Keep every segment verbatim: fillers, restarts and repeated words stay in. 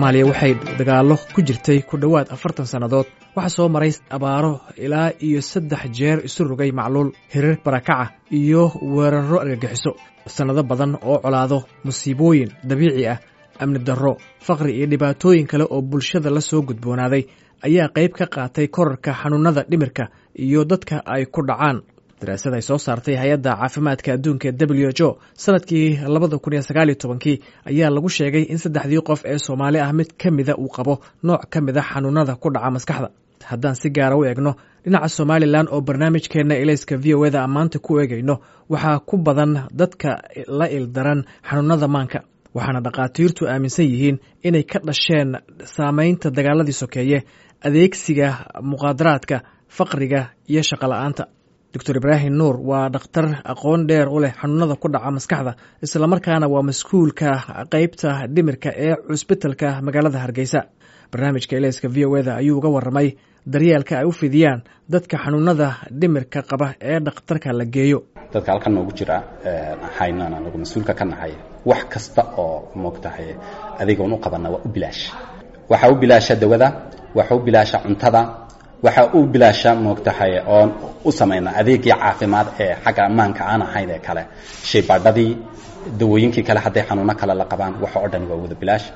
Soomaaliya waxay dagaallo ku jirtay ku dhowaad afartan sannadood. Waxaa soo maray abaaro ilaa iyo saddex jeer isu rogay, macluul, hirar barakaca iyo weerarro argagixiso, sannado badan oo colaado, musiibooyin dabiici ah, amni darro, faqri iyo dhibaatooyin kale oo bulshada la soo gudboonaaday ayaa qayb ka qaatay korarka xanuunada dhimirka iyo dadka ay ku dhacaan. Daraasad ay soo saartay Hay-adda Caafimaadka Adduunka W H O sanadkii labada kun iyo sagaaliyo tobankii ayaa lagu sheegay in saddexdii qof ee Soomaali ah mid ka mida uu qabo nooc ka mid a xanuunada ku dhaca maskaxda. Haddaan si gaara u eegno dhinaca Somalilan, oo barnaamijkeenna Ilayska V O A da maanta ku eegayno, waxaa ku badan dadka la ildaran xanuunada maanka, waxaana dhakhaatiirtu aaminsan yihiin inay ka dhasheen saameynta dagaaladii sokeeye, adeegsiga muqaadaraadka, faqriga iyo shaqo la-aanta. Doctor Ibraahim Nuur waa dhakhtar aqoon dheer u leh xanuunada ku dhaca maskaxda, islamarkaana waa mas-uulka qeybta dhimirka ee cusbitalka magaalada Hargeysa. Barnaamijka Ilayska V O A da ayuu uga waramay daryeelka ay u fidiyaan dadka xanuunada dhimirka qaba ee dhakhtarka la geeyo. Dadka halkan noogu jira haynaan anagu mas-uulka ka nahay, wax kasta oo moogtahay adeegoon u qabana waa u bilaash. Waxaa u bilaasha dawada, waxa u bilaasha cuntada, waxa u bilaasha moogtahay oon u samayna adeegii caafimaad ee xagga ammaanka aan ahayn ee kale, shaybaadhadii, dawooyinkii kale, hadday xanuuno kale la qabaan, waxa oo dhan waa wada bilaash.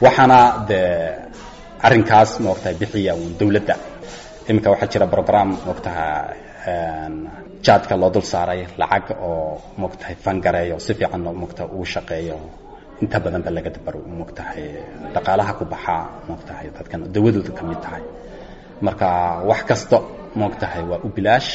Waxaana dee arrinkaas moogtahay bixiya uun dawladda. Iminka waxaa jira program moogtaha jaadka loo dul saaray lacag oo moogtahay fangareeyo, si fiican moogtaha uu shaqeeyo. Inta badan ba laga dabaro moogtahay dhaqaalaha ku baxaa moogtahay dadkan dawadooda ka mid tahay. Marka wax kasta moogtahay waa u bilaash.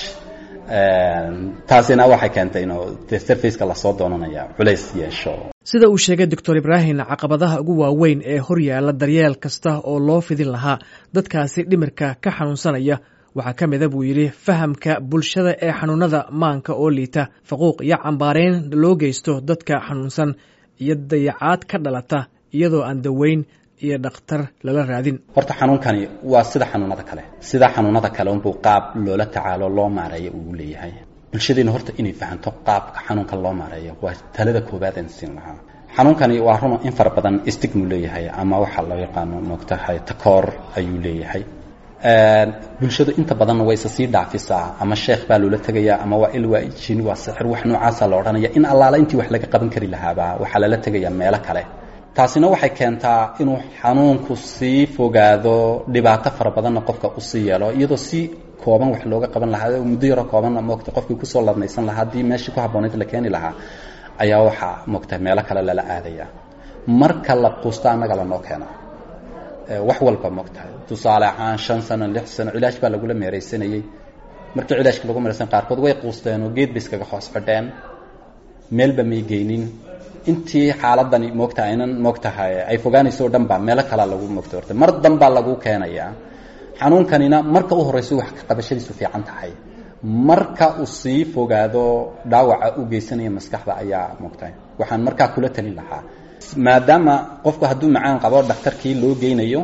Taasina waxay keentay inuu dee serviceka lasoo doonanaya culays yeesho. Sida uu sheegay Doctor Ibraahim, caqabadaha ugu waaweyn ee hor yaalla daryeel kasta oo loo fidin lahaa dadkaasi dhimirka ka xanuunsanaya waxaa ka mida, buu yidhi, fahamka bulshada ee xanuunada maanka oo liita, faquuq iyo cambaareyn loo geysto dadka xanuunsan, iyo dayacaad ka dhalata iyadoo aan daweyn iyo dhakhtar lala raadin. Horta xanuunkani waa sida xanuunada kale, sida xanuunada kale unbuu qaab loola tacaalo, loo maareeyo uu leeyahay. Bulshadeena horta inay fahanto qaabka xanuunka loo maareeyo waa talada koowaad aan siin lahaa. Xanuunkani waa run, in fara badan stigma uu leeyahay ama waxaa loo yaqaano moogtahay takoor ayuu leeyahay. Bulshadu inta badanna way isa sii dhaafisaa, ama sheekh baa loola tegayaa, ama waa il, waa jin, waa sixir, wax noocaasa la odhanaya. In allaala intii wax laga qaban kari lahaaba waxaa lala tegayaa meelo kale. Taasina waxay keentaa inuu xanuunku sii fogaado, dhibaato fara badanna qofka usii yeelo, iyadoo si kooban wax looga qaban lahaa, muddo yaroo koobanna moogta qofkii kusoo ladnaysan lahaa haddii meeshii ku habboonayd la keeni lahaa. Ayaa waxaa moogta meelo kale lala aadaya. Marka la quusto annaga lanoo keenaa wax walba moogtahay. Tusaale ahaan, shan sano, lix sano cilaaj baa lagula meeraysanayey. Markii cilaajka lagu meeraysan, qaarkood way quusteen oo geed bay iskaga hoos xidheen, meelba may geynin. Intii xaaladani moogta aynan moogtahay ay fogaanayso o dhan ba meelo kalaa lagu moogta. Horta mar danbaa lagu keenayaa. Xanuunkanina marka u horeyso wax ka qabashadiisu fiican tahay, marka uu sii fogaado dhaawaca u geysanaya maskaxda ayaa moogtahay. Waxaan markaa kula talin lahaa, maadaama qofku hadduu macaan qabo dhakhtarkii loo geynayo,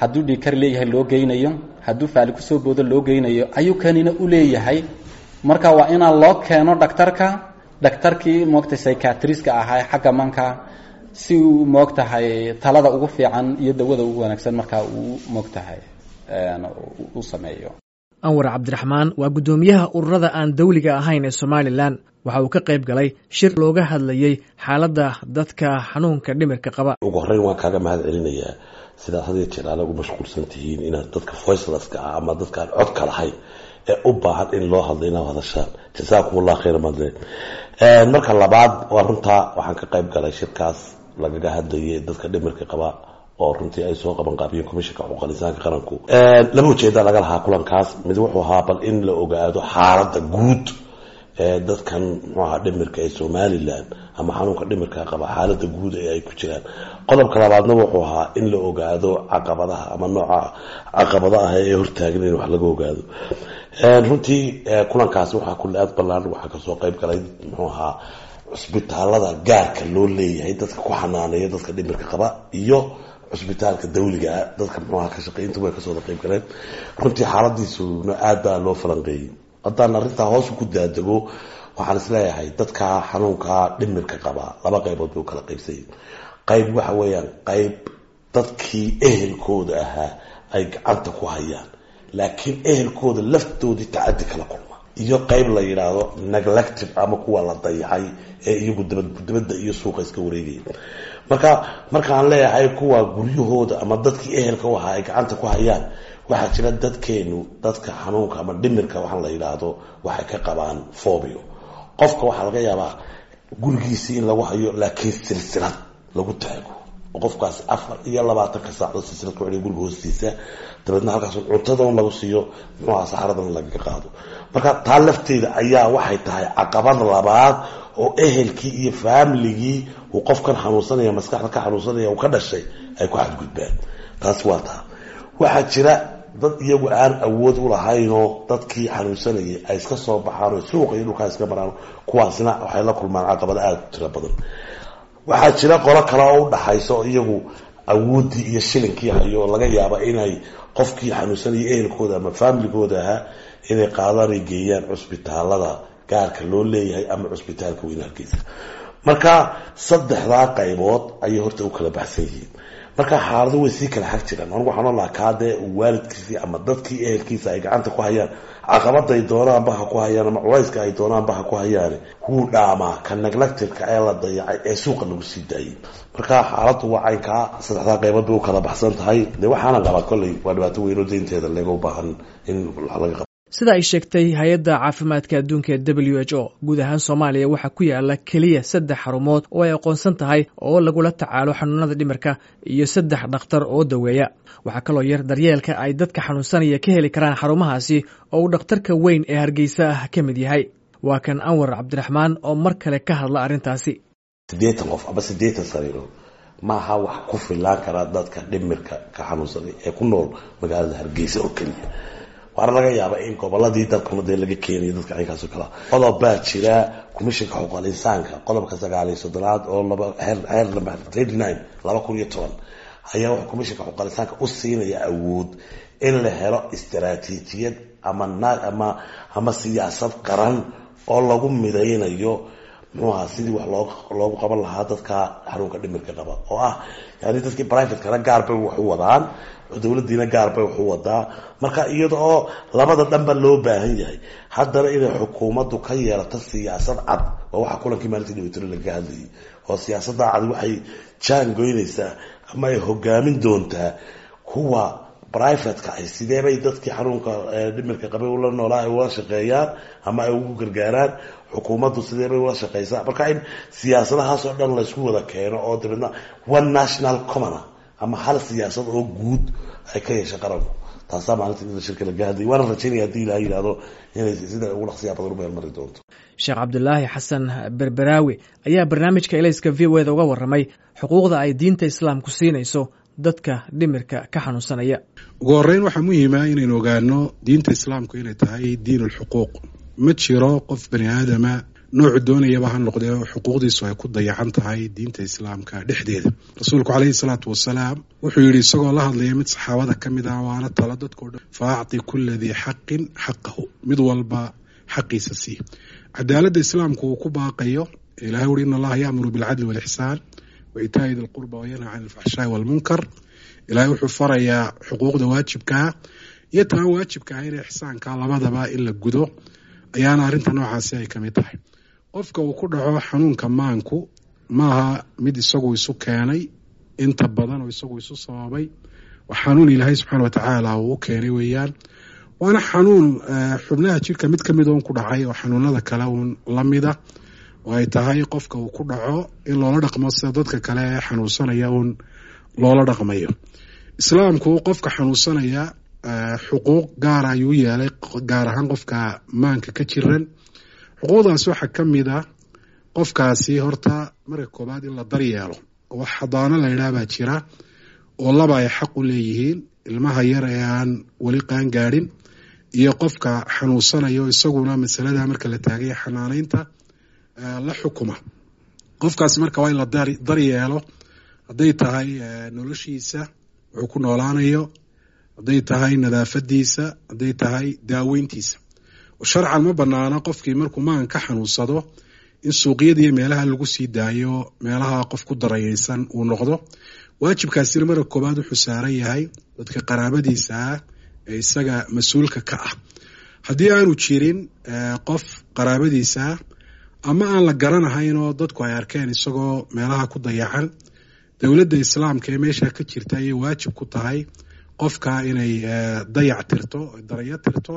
hadduu dhiigkar leeyahay loo geynayo, hadduu faali kusoo boodo loo geynayo, ayuu kanina u leeyahay. Marka waa inaa loo keeno dhakhtarka, dhakhtarkii moogtay psychiatrist-ka ahaa xagga manka, si uu moogtahay talada ugu fiican iyo dawada ugu wanaagsan markaa uu moogtahay u sameeyo. Anwar Cabdiraxmaan waa guddoomiyaha ururada aan dawliga ahayn ee Somalilan. Waxa uu ka qayb galay shir looga hadlayey xaaladda dadka xanuunka dhimirka qaba. Ugu horreyn waan kaaga mahad celinayaa sidaad had iyo jeer aala ugu mashquulsan tihiin inaad dadka voicelesska ah ama dadka aan codka lahayn ee u baahan in loo hadlo inaad hadashaan. Jasaakum Allah khayr madle. Marka labaad, waa runtaa, waxaan ka qayb galay shirkaas lagaga hadlayay dadka dhimirka qaba oo runtii ay soo qaban qaabiyeen Komishanka Xuquuqal Insaanka Qaranku. Laba ujeeda laga lahaa kulankaas. Mid wuxuu ahaa bal in la ogaado xaaladda guud ee dadkan muxuu ahaa dhimirka ee Somaliland ama xanuunka dhimirka qaba, xaaladda guud ee ay ku jiraan. Qodobka labaadna wuxuu ahaa in la ogaado caqabadaha ama nooca caqabada ah ee hortaagan in wax laga ogaado. Runtii kulankaasi waxaa kule aad ballaan, waxaa kasoo qayb galay muxuu ahaa cusbitaalada gaarka loo leeyahay dadka ku xanaaneeya dadka dhimirka qaba iyo cusbitaalka dawliga ah dadka muxuu ahaa ka shaqeey, intuba way kasoo wada qayb galeen. Runtii xaaladiisuna aad baa loo falanqeeyey. Haddaan arrintaa hoos ku daadego, waxaan isleeyahay dadka xanuunka dhimirka qaba laba qaybood bay u kala qaybsayeen. Qayb waxa weeyaan qayb dadkii ehelkooda ahaa ay gacanta ku hayaan, laakiin ehelkooda laftoodii tacadi kala kulma, iyo qayb la yidhaahdo neglected ama kuwa la dayacay ee iyagu dabadda iyo suuqa iska wareegaya. Marka markaan leeyahay kuwa guryahooda ama dadkii ehelka u ahaa ay gacanta ku hayaan, waxaa jira dadkeenu dadka xanuunka ama dhimirka waxaan la yidhaahdo waxay ka qabaan phobia. Qofka waxaa laga yaabaa gurigiisii in lagu hayo, laakiin silsilad lagu taago oo qofkaasi afar iyo labaatanka saacadood silsilad ku celiyo guriga hoostiisa, dabeedna halkaas cuntada lagu siiyo, muxuu ahaa, saxaradan lagaga qaado. Marka taa lafteeda ayaa waxay tahay caqabad labaad oo ehelkii iyo faamiligii uu qofkan xanuunsanaya, maskaxda ka xanuunsanaya, uu ka dhashay ay ku xadgudbaan. Taasi waa taa. Waxaa jira dad iyagu aan awood u lahaynoo dadkii xanuunsanayay ay iska soo baxaan oo suuqa iyo dhulkaa iska maraan, kuwaasna waxay la kulmaan caqabado aada u tiro badan. Waxaa jira qolo kale oo u dhaxaysa oo iyagu awooddii iyo shilinkii hayo oo laga yaaba inay qofkii xanuunsanayay ehelkooda ama faamiligooda ahaa inay qaadaan ay geeyaan cusbitaalada gaarka loo leeyahay ama cusbitaalka weyn Hargeysa. Marka saddexdaa qaybood ayay horta u kala baxsan yihiin. Marka xaalado way sii kala xag jiraan. Anigu waxaan oon lahaa kaadee waalidkiisii ama dadkii ehelkiisa ay gacanta ku hayaan, caqabaday doonaanba ha ku hayaan ama culayska ay doonaanba ha ku hayaane, wuu dhaamaa ka neglectedka ee la dayacay ee suuqa lagu sii daayay. Marka xaaladdu waa caynkaa, saddexdaa qaybood bay u kala baxsan tahay. Dee waxaana qabaa kolley waa dhibaato weyn oo deynteeda leega u baahan in wax laga qabo. Sida ay sheegtay hay-adda caafimaadka adduunka ee W H O, guud ahaan Soomaaliya waxaa ku yaala keliya saddex xarumood oo ay aqoonsan tahay oo lagula tacaalo xanuunada dhimirka iyo saddex dhakhtar oo daweeya. Waxaa kaloo yar daryeelka ay dadka xanuunsanaya ka heli karaan xarumahaasi oo uu dhakhtarka weyn ee Hargeysa ah ka mid yahay. Waa kan Anwar Cabdiraxmaan oo mar kale ka hadla arrintaasi. Siddeetan qof ama siddeetan sariirood maaha wax ku filaan karaa dadka dhimirka ka xanuunsanay ee ku nool magaalada Hargeysa oo keliya. Waana laga yaabaa in goboladii dalkuna dee laga keenayo dadka caynkaas oo kalea. Qodob baa jira, Komishinka Xuquuqal Insaanka, qodobka sagaal iyo soddonaad oo laba xeer xeer number thirty nine laba kun iyo toban ayaa wuxuu Komishinka Xuquuqal Insaanka u siinaya awood in la helo istaraatiijiyad ama ama ama siyaasad qaran oo lagu midaynayo, muxuu ahaa, sidii wax loo loogu qaban lahaa dadka xanuunka dhimirka qaba, oo ah yani dadkii privatekana gaar bay wax u wadaan, dowladdiina gaar bay wax u wadaa. Marka iyada oo labada dhanba loo baahan yahay, haddana inay xukuumaddu ka yeelato siyaasad cad waa waxaa kulankii maalintii dhibatiro lagaga hadlayay, oo siyaasadda cad waxay jaan goynaysaa ama ay hogaamin doontaa kuwa privateka ay sidee bay dadkii xanuunka dhimirka qabay ula noolaa ay ula shaqeeyaan ama ay ugu gargaaraan, xukuumaddu sidee bay ula shaqeysaa. Marka in siyaasadahaas oo dhan laysku wada keeno oo dabeedna one national common ama hal siyaasad oo guud ay ka yeesha qaranku, taasaa maalinta shirka laga hadlayay. Waana rajaynaya haddii Ilaha yidhahdo inay sida ugu dhaqsiyaa badan u meelmari doonto. Sheekh Cabdulaahi Xasan Berberaawi ayaa barnaamijka Elayska V O A da uga warramay xuquuqda ay diinta Islaamku siinayso dadka dhimirka ka xanuunsanaya. Ugu horreyn, waxaa muhiima inaynu ogaano diinta Islaamku inay tahay diin ulxuquuq. Ma jiro qof bani aadama, noocu doonayaba ha noqdee, xuquuqdiisu ay ku dayacan tahay diinta Islaamka dhexdeeda. Rasuulku calayhi salaatu wasalaam wuxuu yidhi, isagoo la hadlaya mid saxaabada ka mid ah, waana talo dadkao dhan: "Fa acti kulla dii xaqin xaqahu", mid walba xaqiisa sii. Cadaaladda Islaamku uu ku baaqayo, Ilahay uri: "In Allaha ya'muru bilcadli walixsaan wa itaa'i di lqurba wa yanha can alfaxshaai walmunkar." Ilahay wuxuu farayaa xuquuqda waajibkaa iyo taan waajibka ah inay ixsaanka labadaba in la gudo, ayaana arrinta noocaasi ay ka mid tahay. Qofka uu ku dhaco xanuunka maanku maaha mid isagu isu keenay inta badan oo isagu isu sababay. Waa xanuun Ilaahay subxaana watacaala uu u keenay weeyaan, waana xanuun xubnaha jirka mid kamid uun ku dhacay oo xanuunada kale uun lamida, oo ay tahay qofka uu ku dhaco in loola dhaqmo sida dadka kale ee xanuunsanaya uun loola dhaqmayo. Islaamku qofka xanuunsanaya xuquuq gaara ayuu yeelay, gaar ahaan qofka maanka ka jiran. Xuquuqdaas waxaa ka mid ah qofkaasi horta marka koobaad in la daryeelo. Wax xadaano la yidhaah baa jira oo laba ay xaq u leeyihiin: ilmaha yar ee aan weli qaan gaadhin iyo qofka xanuunsanayo, isaguna masalada marka la taagaya xanaaneynta la xukuma. Qofkaasi marka waa in la daryeelo, hadday tahay noloshiisa wuxuu ku noolaanayo, hadday tahay nadaafadiisa, hadday tahay daaweyntiisa. Sharcan ma banaano qofkii markuu maan ka xanuunsado in suuqyada iyo meelaha lagu sii daayo meelaha qof ku darayeysan uu noqdo. Waajibkaasina marka koobaad wuxuu saaran yahay dadka qaraabadiisa ah ee isaga mas-uulka ka ah. Haddii aanu jirin qof qaraabadiisa ah ama aan la garanahayn oo dadku ay arkeen isagoo meelaha ku dayacan, dowladda islaamka ee meesha ka jirta ayay waajib ku tahay qofka inay dayac tirto, darayo tirto,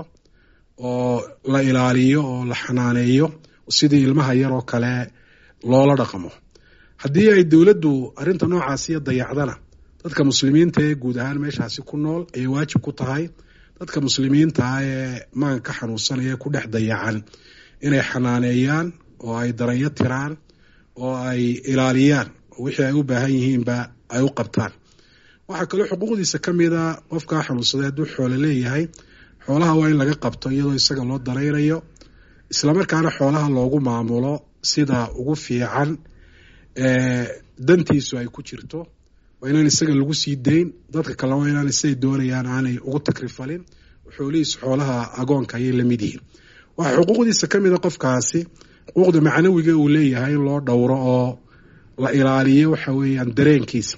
oo la ilaaliyo oo la xanaaneeyo sidii ilmaha yar oo kale loola dhaqmo. Haddii ay dowladdu arrinta noocaasiyo dayacdana, dadka muslimiinta ee guud ahaan meeshaasi ku nool ayay waajib ku tahay dadka muslimiinta ah ee maanka ka xanuunsanaya ku dhex dayacan inay xanaaneeyaan oo ay daranyo tiraan oo ay ilaaliyaan oo wixii ay u baahan yihiinba ay u qabtaan. Waxaa kaloo xuquuqdiisa ka mid a qofkaa xanuunsaday hadduu xoolo leeyahay, xoolaha waa in laga qabto iyadoo isaga loo daraynayo, islamarkaana xoolaha loogu maamulo sida ugu fiican ee dantiisu ay ku jirto. Waa inaan isaga lagu sii dayn, dadka kalena waa inaan siday doonayaan aanay ugu takrifalin. Xoolihiisu xoolaha agoonka ayay la mid yihiin. Waxaa xuquuqdiisa ka mid a qofkaasi xuquuqda macnawiga uu leeyahay in loo dhowro oo la ilaaliyo waxa weeyaan dareenkiisa,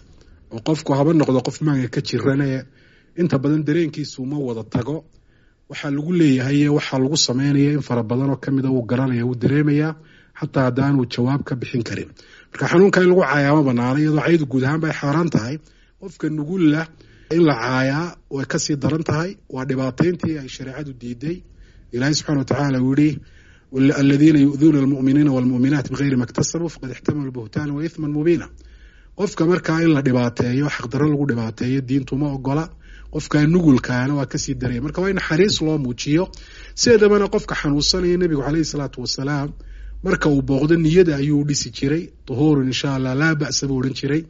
oo qofku haba noqdo qof maanka ka jirane, inta badan dareenkiisu ma wada tago. Waxaa lagu leeyahay iyo waxaa lagu sameynaya in fara badan oo kamida wuu garanaya, wuu dareemayaa, xataa haddaanuu jawaab ka bixin karin. Marka xanuunka in lagu caayaa ma banaana, iyadoo caydu guud ahaan bay xaaraan tahay. Qofka nugulla in la caayaa way kasii daran tahay, waa dhibaatayntii ay shareecadu diiday. Ilaahay subxana watacaala uu yihi aladiina yu'duuna almu'miniina waalmu'minaat bigayri ma iktasabuu faqad ixtamaluu buhtaana wa ithman mubiina. Qofka markaa in la dhibaateeyo, xaqdarro lagu dhibaateeyo, diintu ma ogola. Qofka nugulkaana waa kasii daraya. Marka waa in naxariis loo muujiyo. Sideedabana qofka xanuunsanaya nebigu caleyhi salaatu wasalaam marka uu booqdo niyada ayuu dhisi jiray. Duhuurun insha allah laa ba'sa buu odhan jiray,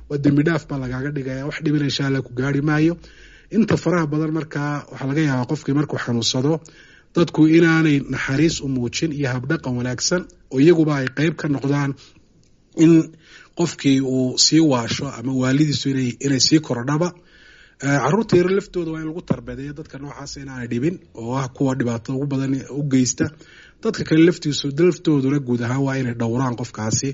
waa dembi dhaaf baa lagaaga dhigaya, wax dhibina insha allah ku gaari maayo. Inta faraha badan markaa waxaa laga yaabaa qofkii markuu xanuunsado dadku inaanay naxariis u muujin iyo habdhaqan wanaagsan, oo iyaguba ay qeyb ka noqdaan in qofkii uu sii waasho ama waalidiisu inay inay sii korodhaba. Caruurta yar laftooda waa in lagu tarbadeeyo dadka noocaas inaanay dhibin, oo ah kuwa dhibaatada ugu badan u geysta. Dadka kale laftiisu laftooduna guud ahaan waa inay dhowraan qofkaasi,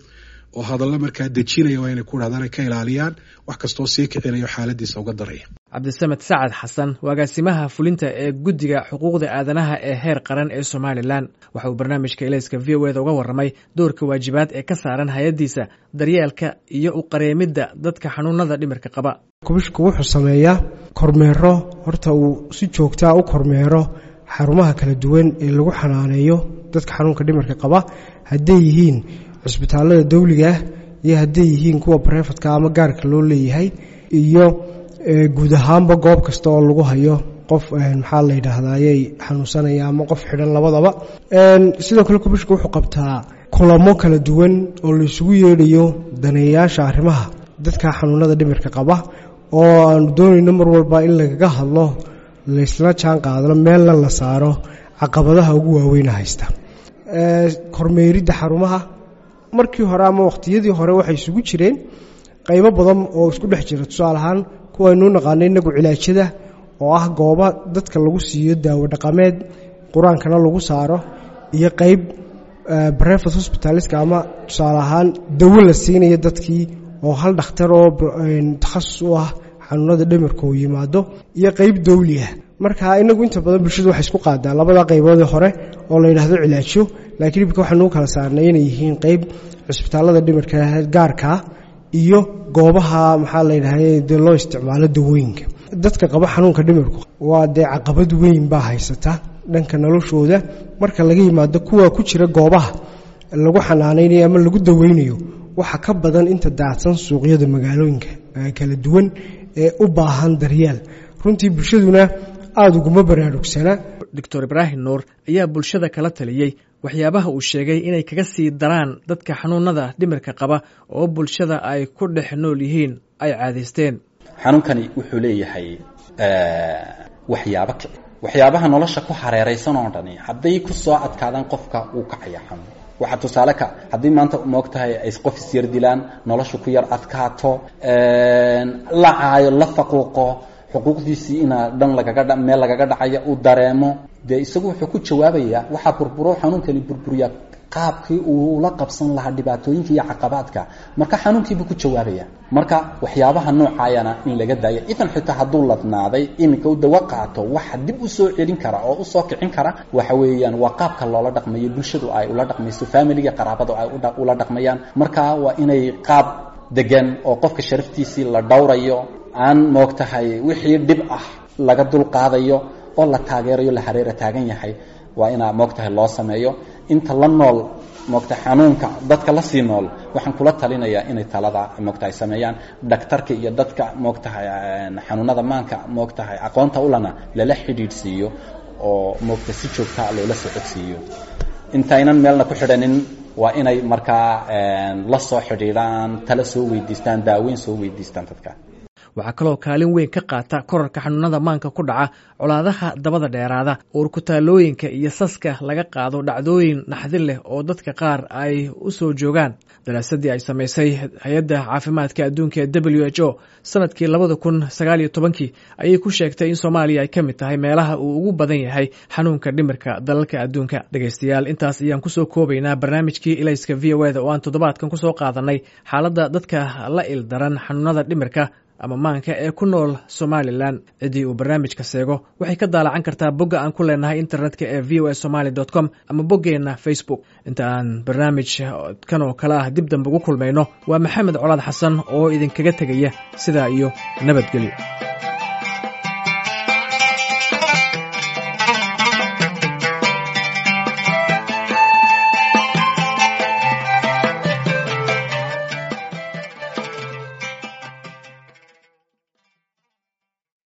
oo hadallo markaa dejinaya waa inay ku dhahdaan, ay ka ilaaliyaan wax kastoo sii kicinayo xaaladiisa uga daraya. Cabdisamed Sacad Xasan waa agaasimaha fulinta ee guddiga xuquuqda aadanaha ee heer qaran ee Somalilan. Waxa uu barnaamijka Ilayska V O eda uga warramay doorka waajibaad ee ka saaran hay-addiisa daryeelka iyo u qareemidda dadka xanuunada dhimirka qaba. Kubishku wuxuu sameeyaa kormeero, horta uu si joogtaa u kormeero xarumaha kala duwan ee lagu xanaaneeyo dadka xanuunka dhimirka qaba, hadday yihiin cisbitaalada dawliga ah iyo hadday yihiin kuwa barefadka ama gaarka loo leeyahay, iyo guud ahaanba goob kasta oo lagu hayo qof maxaa la yidhaahdaayey xanuunsanaya ama qof xidhan labadaba. Sidoo kale kubishku wuxuu qabtaa kulamo kala duwan oo la isugu yeedhayo daneeyayaasha arrimaha dadka xanuunada dhimirka qaba, oo aanu doonayno mar walba in lagaga hadlo, laysla jaan qaadano, meelna la saaro caqabadaha ugu waaweyna haysta. Kormeeridda xarumaha markii hore ama waqtiyadii hore waxay isugu jireen qaybo badan oo isku dhex jira. Tusaale ahaan kuwaynuu naqaanay inagu cilaajada, oo ah gooba dadka lagu siiyo daawo dhaqameed qur-aankana lagu saaro, iyo qayb brevet hospitaliska ama tusaale ahaan dawo la siinayo dadkii oo hal dhakhtar oo takhasus u ah xanuunada dhimirka uu yimaado, iyo qayb dawli ah. Marka inagu inta badan bulshadu waxay isku qaadaa labada qayboodee hore oo la yidhaahdo cilaajo, laakiin imika waxaanu u kala saarnay inay yihiin qayb cisbitaalada dhimirka gaarkaa iyo goobaha maxaa la yidhahda dee loo isticmaalo dawooyinka. Dadka qaba xanuunka dhimirku waa dee caqabad weyn baa haysata dhanka noloshooda. Marka laga yimaado kuwa ku jira goobaha lagu xanaanaynayo ama lagu daweynayo, waxa ka badan inta daadsan suuqyada magaalooyinka kala duwan ee u baahan daryeel. Runtii bulshaduna aada uguma baraarugsana. Doctor Ibraahim Nuur ayaa bulshada kala taliyey waxyaabaha uu sheegay inay kaga sii daraan dadka xanuunada dhimirka qaba oo bulshada ay ku dhex nool yihiin ay caadaysteen. Xanuunkani wuxuu leeyahay waxyaabo kici, waxyaabaha nolosha ku hareeraysan oo dhani hadday ku soo adkaadaan qofka wuu kacaya xanuun. Waxaa tusaale ka haddii maanta moogtahay ay qof isyar dilaan, nolosha ku yar adkaato, la caayo, la faquuqo, xuquuqdiisii inaa dhan lagaga meel lagaga dhacaya uu dareemo, dee isagu wuxuu ku jawaabayaa waxaa burburo xanuunkani burburiyaa Qaabkii uu la qabsan lahaa dhibaatooyinka iyo caqabaadka, marka xanuunkiibuu ku jawaabaya. Marka waxyaabaha noocaayana in laga daayo, idan xitaa hadduu ladnaaday iminka u dawo qaato, waxa dib usoo celin kara oo usoo kicin kara waxa weeyaan waa qaabka loola dhaqmayo, bulshadu ay ula dhaqmayso, familiga, qaraabadu ay ula dhaqmayaan. Marka waa inay qaab degan oo qofka sharaftiisii la dhowrayo, aan moogtahay wixii dhib ah laga dul qaadayo oo la taageerayo, la hareera taagan yahay, waa inaa moogtahay loo sameeyo. Inta la nool moogta xanuunka, dadka la sii nool, waxaan kula talinayaa inay talada moogtahay sameeyaan, dhaktarka iyo dadka moogtahay xanuunada maanka moogtahay aqoonta ulana lala xidhiidhsiiyo oo moogta si joogtaa loola socodsiiyo. Intaynan meelna ku xidhanin waa inay markaa la soo xidhiidhaan, tala soo weydiistaan, daaweyn soo weydiistaan dadka. Waxaa kaloo kaalin weyn ka qaata korarka xanuunada maanka ku dhaca colaadaha dabada dheeraada, uurkutaalooyinka iyo saska laga qaado dhacdooyin naxdin leh oo dadka qaar ay u soo joogaan. Daraasadii ay samaysay Hay-adda Caafimaadka Adduunka ee W H O sanadkii labada kun sagaal iyo tobankii ayay ku sheegtay in Soomaaliya ay ka mid tahay meelaha uu ugu badan yahay xanuunka dhimirka dalalka adduunka. Dhegaystayaal, intaas ayaan kusoo koobaynaa barnaamijkii Ilayska V O eda oo aan toddobaadkan kusoo qaadanay xaaladda dadka la ildaran xanuunada dhimirka ama maanka ee ku nool Somalilan. Ciddii uu barnaamijka seego waxay ka daalacan kartaa bogga aan ku leenahay internetka ee V O A somaly dot com ama boggeenna Facebook. Inta aan barnaamij kan oo kale ah dib dambe ugu kulmayno, waa Maxamed Colaad Xasan oo idinkaga tegaya sidaa iyo nabadgelyo.